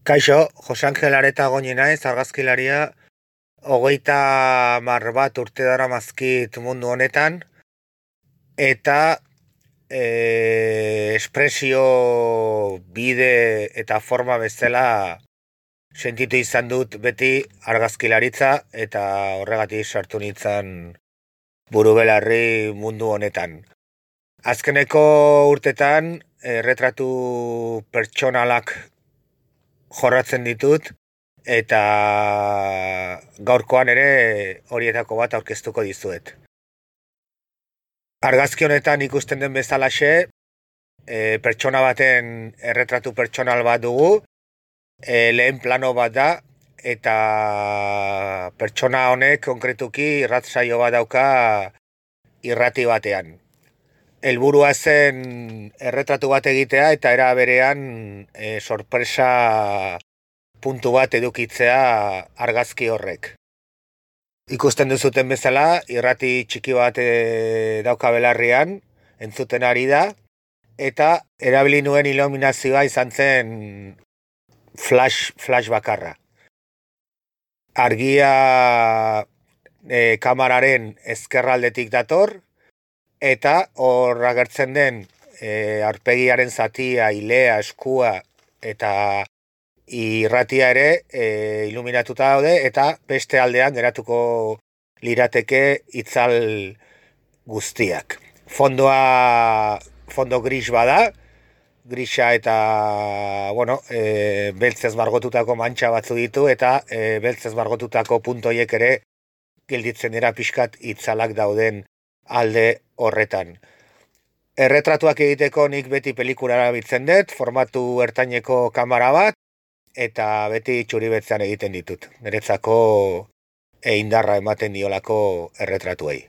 Kaixo, Jose Angel Areta goñi naiz, argazkilaria, 31 urte daramazkit mundu honetan, eta espresio bide eta forma bezala sentitu izan dut beti argazkilaritza, eta horregatik sartu nintzen burubelarri mundu honetan. Azkeneko urtetan erretratu pertsonalak jorratzen ditut, eta gaurkoan ere horietako bat aurkeztuko dizuet. Argazki honetan ikusten den bezalaxe, pertsona baten erretratu pertsonal bat dugu, lehen plano bat da, eta pertsona honek konkretuki irratsaio bat dauka irrati batean. Helburua zen erretratu bat egitea eta era berean sorpresa puntu bat edukitzea argazki horrek. Ikusten duzuten bezala, irrati txiki bat dauka belarrian, entzuten ari da, eta erabili nuen iluminazioa izan zen flash bakarra. Argia kamararen ezkerraldetik dator, eta hor agertzen den aurpegiaren zatia, ilea, eskua eta irratia ere iluminatuta daude, eta beste aldean geratuko lirateke itzal guztiak. Fondo gris bada, grisa eta beltzez margotutako mantxa batzu ditu, eta beltzez margotutako puntoiek ere gelditzen dira pixkat itzalak dauden alde horretan. Erretratuak egiteko nik beti pelikula erabiltzen dut, formatu ertaineko kamera bat, eta beti txuribetzean egiten ditut. Niretzako indarra ematen diolako erretratuei.